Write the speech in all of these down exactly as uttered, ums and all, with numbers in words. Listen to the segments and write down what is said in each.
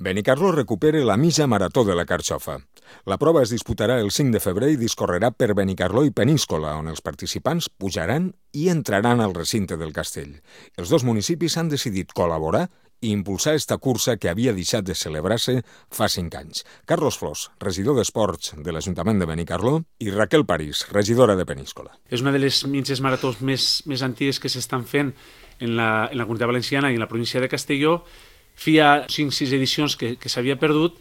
Benicarló recupera la mitja marató de la Carxofa. La prova es disputarà el cinc de febrer i discorrerà per Benicarló i Peníscola, on els participants pujaran i entraran al recinte del castell. Els dos municipis han decidit col·laborar i impulsar esta cursa que havia deixat de celebrar-se fa cinc anys. Carlos Flors, regidor d'Esports de l'Ajuntament de Benicarló, i Raquel París, regidora de Peníscola. És una de les mitges maratons més, més antigues que s'estan fent en la, en la Comunitat Valenciana i en la província de Castelló. Feia cinc o sis edicions que, que s'havia perdut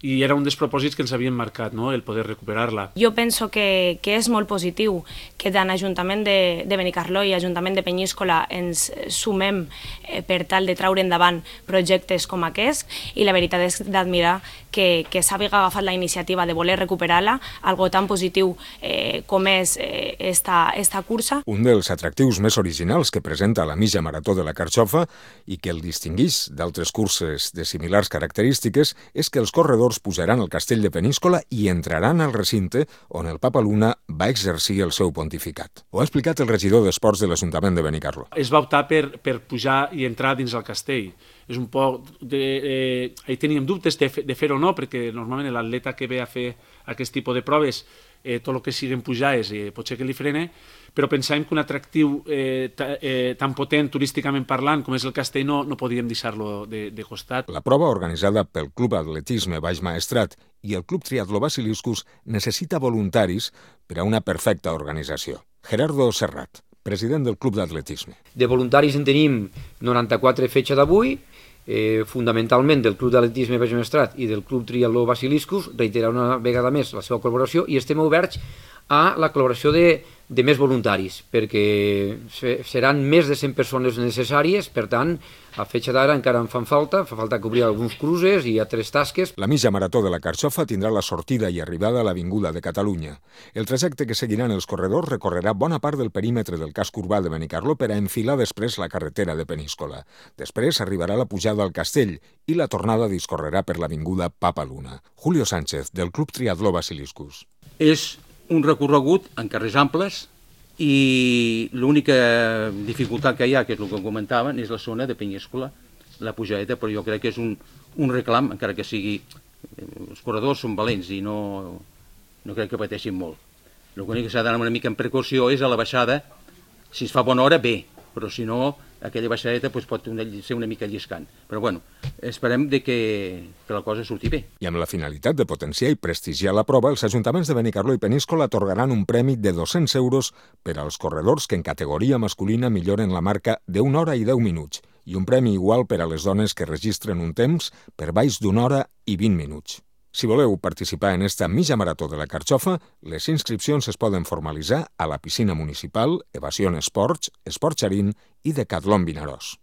i era un dels propòsits que ens havien marcat, no? El poder recuperar-la. Jo penso que, que és molt positiu que tant Ajuntament de, de Benicarló i Ajuntament de Peníscola ens sumem eh, per tal de treure endavant projectes com aquest, i la veritat és d'admirar que, que s'hagi agafat la iniciativa de voler recuperar-la, algo tan positiu eh, com és eh, esta, esta cursa. Un dels atractius més originals que presenta la mitja marató de la Carxofa i que el distingueix d'altres curses de similars característiques és que els corredors pujaran al castell de Peníscola i entraran al recinte on el Papa Luna va exercir el seu pontificat. Ho ha explicat el regidor d'Esports de l'Ajuntament de Benicarló. Es va optar per, per pujar i entrar dins el castell. És un poc de, eh, ahí teníem dubtes de, de fer o no, perquè normalment l'atleta que ve a fer aquest tipus de proves, eh, tot el que siguen pujades eh, potser que li frene, però pensàvem que un atractiu eh, ta, eh, tan potent turísticament parlant com és el castell no, no podíem deixar-lo de, de costat. La prova, organitzada pel Club Atletisme Baix Maestrat i el Club Triatló Basiliscus, necessita voluntaris per a una perfecta organització. Gerardo Serrat, president del Club d'Atletisme. De voluntaris en tenim noranta-quatre fetge d'avui, eh, fonamentalment del Club d'Atletisme Baix Maestrat i del Club Triatló Basiliscus, reiterar una vegada més la seva col·laboració, i estem oberts a la col·laboració de, de més voluntaris, perquè seran més de cent persones necessàries, per tant, a fetge d'ara encara en fan falta, fa falta cobrir alguns cruces i altres tasques. La mitja marató de la Carxofa tindrà la sortida i arribada a l'Avinguda de Catalunya. El trajecte que seguiran els corredors recorrerà bona part del perímetre del casc urbà de Benicarló per a enfilar després la carretera de Peníscola. Després arribarà la pujada al castell i la tornada discorrerà per l'Avinguda Papa Luna. Julio Sánchez, del Club Triatló Basiliscus. És un recorregut en carrers amples i l'única dificultat que hi ha, que és el que comentaven, és la zona de Peníscola, la pujadeta, però jo crec que és un, un reclam, encara que sigui... Els corredors són valents i no, no crec que pateixin molt. L'únic que s'ha d'anar una mica en precaució és a la baixada. Si es fa bona hora, bé, però si no, aquella baixadeta doncs, pot ser una mica lliscant. Però bueno, esperem de que, que la cosa surti bé. I amb la finalitat de potenciar i prestigiar la prova, els ajuntaments de Benicarló i Peníscola atorgaran un premi de dos-cents euros per als corredors que en categoria masculina milloren la marca d'una hora i deu minuts i un premi igual per a les dones que registren un temps per baix d'una hora i vint minuts. Si voleu participar en esta mitja marató de la Carxofa, les inscripcions es poden formalitzar a la piscina municipal, Evasion Esports, Esports Xarín i Decatlon Vinaròs.